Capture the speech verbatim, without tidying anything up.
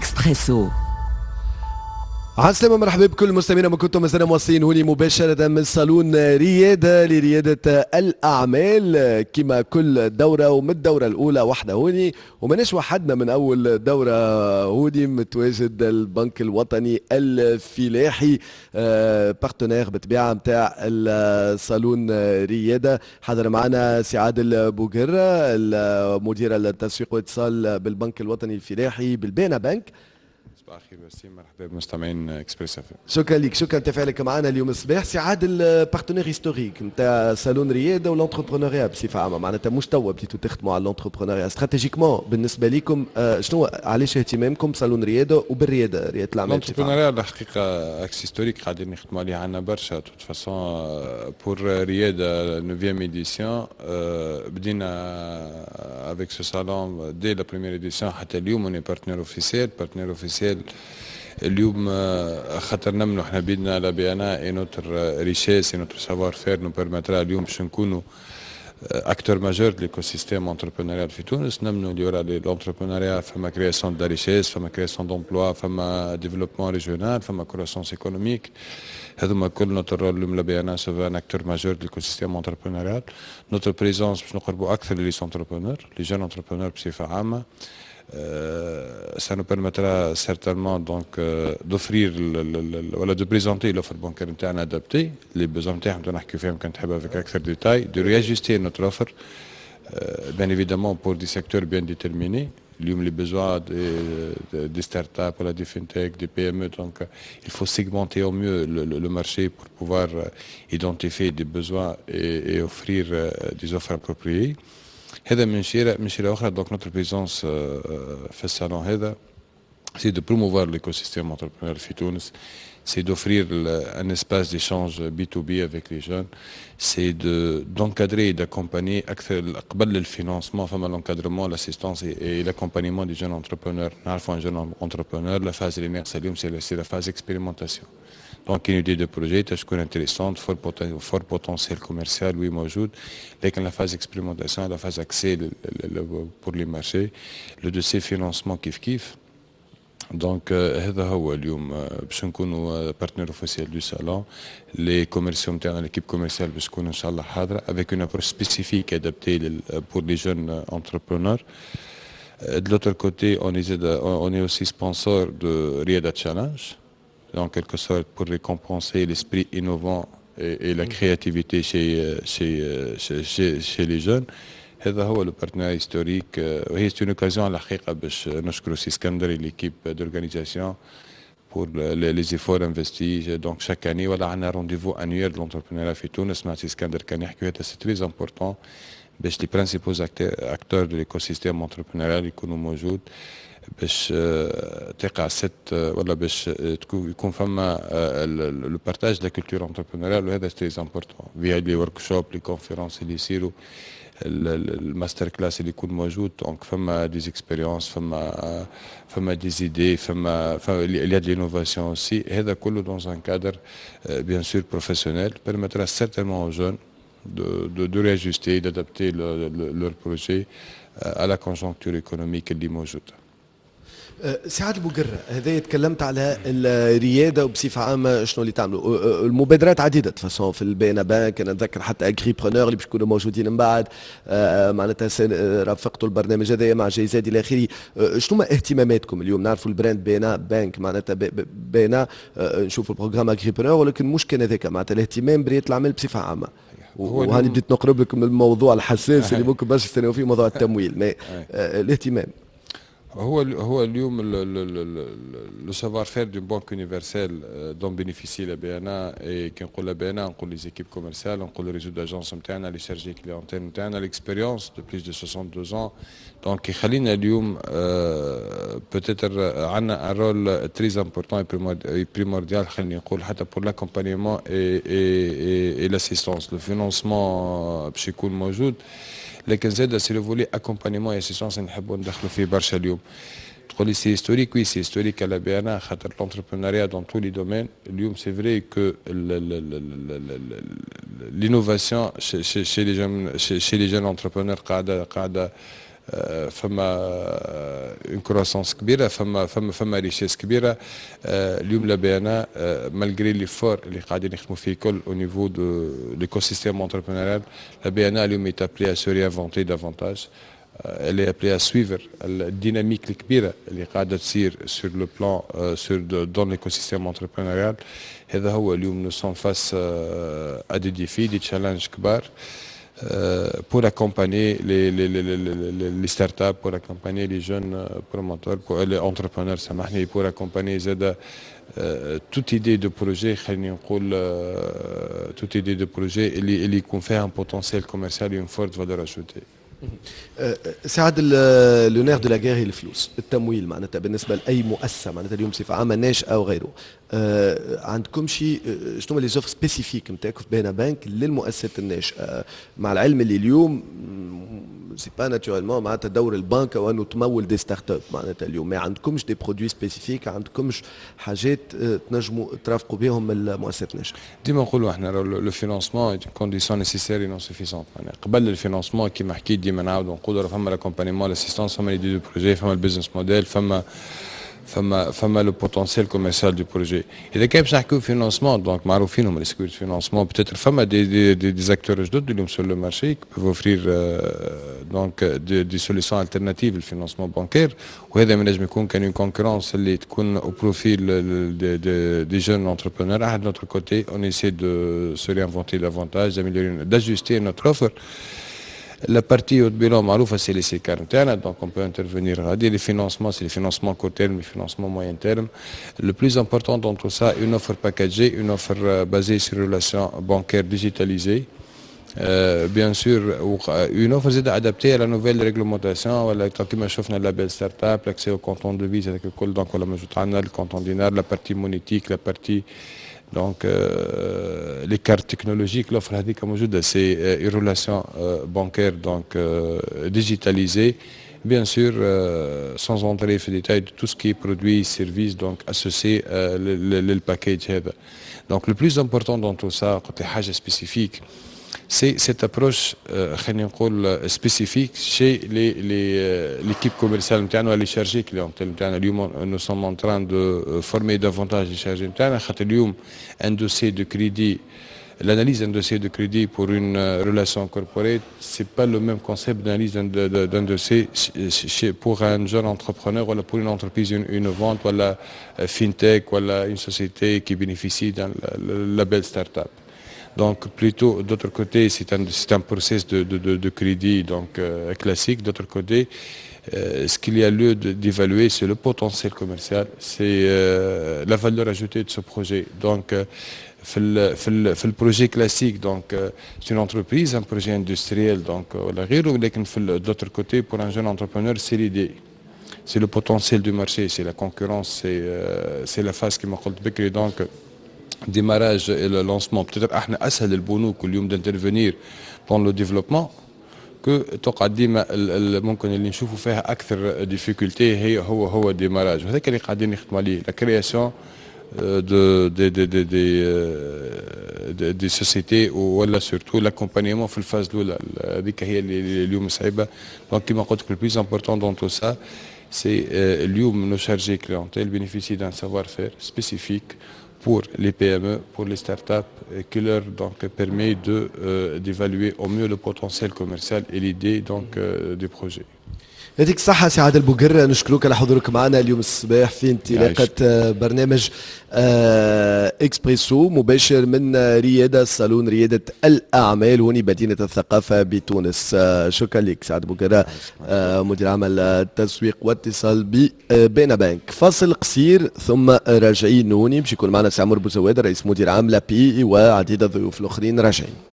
اكسبريسو. عسلامة، مرحبا بكل المستمعين، ما كنتم مازلنا مواصلين هوني مباشرة من صالون ريادة لريادة الأعمال كما كل دورة، ومن الدورة الأولى واحنا هوني، وماناش وحدنا. من أول دورة هوني متواجد البنك الوطني الفلاحي، partenaire بالطبيعة نتاع الصالون ريادة. حضر معنا سي عادل بوقرة، المدير التسويق والاتصال بالبنك الوطني الفلاحي بال BNA بنك. صباح الخير وسيم، مرحبا بمستمعين اكسبريس اف. شكرا لك، شكرا تفاعلك معنا اليوم الصباح. سي عادل، partenaire historique نتاع صالون رياده و l'entrepreneuriat بصفة عامه، معناتها مش توا بديتوا تخدموا على l'entrepreneuriat. stratégiquement بالنسبة لكم آه، شنو علاش اهتمامكم بصالون رياده وبالرياده، رياده الاعمال؟ l'entrepreneuriat الحقيقة axe historique قاعدين نخدموا عليه عندنا برشا. toute façon pour رياده neuvième édition، بدينا avec ce salon dès la première édition حتى اليوم on est partenaire officiel. partenaire officiel اليوم خاطر نمنوا احنا بيدنا la BNA et notre richesse et notre savoir-faire nous permettra اليوم باش نكونوا acteur majeur de l'écosystème entrepreneurial في تونس. نمنوا اللي ورا l'entrepreneuriat فما création de richesse، فما création d'emplois، فما développement régional، فما croissance économique. هذوما كل notre rôle اليوم la BNA se veut un acteur majeur de l'écosystème entrepreneurial. notre présence باش نقربوا اكثر les entrepreneurs، les jeunes entrepreneurs بصفة عامه. ça nous permettra certainement donc euh, d'offrir ولا de présenter l'offre bancaire نتاعنا adaptée les besoins نتاعهم، نحكي فيهم كان تحب avec اكثر détails، de réajuster notre offre bien évidemment pour des secteurs bien déterminés. اليوم les besoins des, des startups ولا des fintech، des PME، donc il faut segmenter au mieux le, le, le marché pour pouvoir identifier des besoins et, et offrir des offres appropriées. هذا من شيره، من شيره اخرى donc notre présence في الصالون هذا c'est de promouvoir l'écosystème entrepreneurial في تونس، c'est d'offrir un espace d'échange B to B avec les jeunes, c'est de, d'encadrer et d'accompagner قبل ال financement فما l'encadrement، l'assistance et l'accompagnement des jeunes entrepreneurs. نعرفوا un jeune entrepreneur، la phase اللي ناقصه اليوم c'est la phase expérimentation. Donc une idée de projet تكون intéressante، fort, fort potentiel commercial، oui موجود، لكن la phase expérimentation، la phase accès pour les marchés، le dossier financement كيف كيف. donc هذا هو اليوم باش نكونوا partenaire officiel du salon. les commerciaux نتاعنا، l'équipe commerciale باش تكون ان شاء الله حاضره avec une approche spécifique adaptée pour les jeunes entrepreneurs. De l'autre côté, on est, on est aussi sponsor de Riada Challenge, en quelque sorte pour récompenser l'esprit innovant et, et la créativité chez, chez, chez, chez les jeunes. هذا هو le partenariat historique، وهي c'est une occasion على الحقيقة باش نشكروا سي اسكندر، l'équipe d'organisation، pour les efforts investis. donc chaque année ولا عندنا rendez-vous annuel de l'entrepreneuriat في تونس مع سي اسكندر كان يحكي، هذا c'est très important باش les principaux acteurs de l'écosystème entrepreneurial يكونوا موجود، باش تقع cette ولا باش يكون فما le partage de la culture entrepreneuriale، وهذا très important via les workshops، les conférences اللي يصيروا، ال master class اللي يكون موجود. donc فما des expériences، فما فما des idées، فما فما de l'innovation aussi. هذا كله dans un cadre bien sûr professionnel permettra certainement aux jeunes de, de, de réajuster, d'adapter le, le, leur projet à la conjoncture économique اللي موجودة. أه، سي عادل بوقرة، هذا تكلمت على الرياده وبصفه عامة شنو اللي تعملوا. أه، أه، المبادرات عديدة façon في ال BNA بانك، انا نتذكر حتى agripreneur اللي باش يكونوا موجودين من بعد، معناتها رافقتوا البرنامج هذا مع GIZ الى اخره. شنو ما اهتماماتكم اليوم؟ نعرفوا ال brand BNA بانك، معناتها BNA، نشوفوا ال programme agripreneur، ولكن مش كان هذاك، معناتها الاهتمام بريادة الاعمال بصفة عامه. وهاني بديت نقرب لكم من الموضوع الحساس اللي ممكن برشا يستناو فيه، موضوع التمويل، mais الاهتمام. هو هو اليوم le savoir-faire d'une banque universelle dont bénéficie la BNA، et كي نقول la BNA نقول les équipes commerciales، نقول réseau d'agences نتاعنا، les chargés clientèle نتاعنا، l'expérience de plus de soixante-deux ans، donc يخلينا اليوم peut-être عندنا un rôle très important et primordial، خليني نقول حتى pour l'accompagnement et et et l'assistance. le financement باش يكون موجود، لكن زاد c'est le volet accompagnement assistance نحبوا ندخلوا فيه برشا. اليوم تقول لي c'est historique، oui c'est historique à la BNA، خاطر l'entrepreneuriat dans tous les domaines اليوم c'est vrai que l'innovation chez, chez, chez les jeunes chez, chez les jeunes entrepreneurs قاعدة قاعدة فما une croissance كبيره، فما فما فما richesse كبيره. اليوم la B N A، malgré l'effort اللي قاعدين نخدموا فيه كل au niveau de l'écosystème entrepreneurial، la B N A اليوم est appelée à se réinventer davantage، elle est appelée à suivre ال dynamique الكبيرة اللي قاعدة تصير sur le plan sur dans l'écosystème entrepreneurial. هذا هو، اليوم nous sommes face à des défis، des challenges كبار pour accompagner les, les, les, les, les startups، pour accompagner les jeunes promoteurs، pour les entrepreneurs، سامحني، pour accompagner زاد toute idée de projet، خليني نقول toute idée de projet اللي اللي يكون فيها un potentiel commercial et une forte valeur ajoutée. سعد، le nerf de la guerre الفلوس، التمويل معناتها بالنسبة لاي مؤسسة معناتها اليوم بصفة عامة ناشئة او غيره. آه، عندكم شي آه، شنو les offres spécifiques نتاعكم في B N A Bank للمؤسسات الناشئه؟ مع العلم اللي اليوم c'est pas naturellement معناتها دور البنك وانه تمول des startups معناتها اليوم ما عندكمش des produits spécifiques، عندكمش حاجات آه، تنجموا ترافقوا بهم المؤسسات الناشئه؟ ديما نقولوا احنا le financement condition nécessaire non suffisante. قبل ال financement، كيما حكيت، ديما نعاودوا نقولوا فما l'accompagnement، l'assistance، فما l'idée de projet، فما ال business model، فما فما فما le potentiel commercial du projet. اذا كان باش نحكيو financement، donc معروفين هما les circuits financement. peut-être فما des des des, des acteurs جدد اليوم sur le marché peuvent offrir donc des, des solutions alternatives لل financement bancaire، وهذا ما نجم يكون كان une concurrence اللي تكون au profit des, des, des jeunes entrepreneurs. de notre côté، on essaie de se réinventer davantage، d'améliorer، d'ajuster notre offre. La partie haut de bilan معروفة، c'est les SICAR نتاعنا، donc on peut intervenir غادي. Les financements، c'est les financements court terme، les financements moyen terme. Le plus important dans tout ça، une offre packagée، une offre basée sur une relation bancaire digitalisée. Euh, bien sûr، une offre زادة adaptée à la nouvelle réglementation، ولا كما شفنا label startup، l'accès au compte en devise، هذاك الكل donc ولا موجود عندنا ال compte en dinar، la partie monétique، la partie donc euh, les cartes technologiques، l'offre هذيك موجوده. c'est une relation bancaire donc digitalisée، bien sûr euh, sans entrer في détail de tout ce qui est produit، service donc associé euh, لل package هذا. donc le plus important dans tout ça، قلت لي حاجة spécifique، c'est cette approche خلينا نقول spécifique chez les les l'équipe commerciale نتاعنا، les chargés clientèle نتاعنا. اليوم nous sommes en train de former davantage les chargés نتاعنا، خاطر اليوم un dossier de crédit، l'analyse d'un dossier de crédit pour une relation corporate، c'est pas le même concept d'analyse d'un dossier pour un jeune entrepreneur ou pour une entreprise innovante ولا fintech ولا une société qui bénéficie d'un label start-up. Donc plutôt d'autre côté، c'est un, c'est un process de, de, de, de crédit donc euh, classique. D'autre côté، euh, ce qu'il y a lieu d'évaluer، c'est le potentiel commercial، c'est euh, la valeur ajoutée de ce projet. Donc في ال في ال في ال projet classique، donc c'est une entreprise، un projet industriel donc ولا غيره، ولكن في d'autre côté، pour un jeune entrepreneur، c'est l'idée، c'est le potentiel du marché، c'est la concurrence، c'est c'est la phase كما قلت بكري، donc démarrage et le lancement. peut-être احنا اسهل البنوك اليوم d'intervenir dans le développement que تقعد ديما ممكن اللي نشوفوا فيها اكثر difficulté هي هو هو démarrage، وهذاك اللي قاعدين نخدموا عليه، la création de des des des des, des sociétés ولا surtout l'accompagnement في ال phase الاولى، هذيك هي اللي اليوم صعيبه. donc كيما قلت لك، le plus important dans tout ça، c'est اليوم nos chargés clientèle bénéficient d'un savoir-faire spécifique pour les P M E، pour les startups، qui leur donc permet de euh, d'évaluer au mieux le potentiel commercial et l'idée donc euh, du projet. يعطيك الصحة سي عادل بوقرة، نشكرك على حضورك معنا اليوم الصباح في انطلاقة برنامج آه، اكسبريسو مباشر من ريادة، صالون ريادة الأعمال هوني مدينة الثقافة بتونس. آه، شكرا لك سعد بوقرة، آه، مدير عام التسويق واتصال ب B N A Bank. فاصل قصير ثم راجعين هوني باش يكون معنا سي عمر بوزواد، رئيس مدير عام l'API، وعديد الضيوف الآخرين راجعين.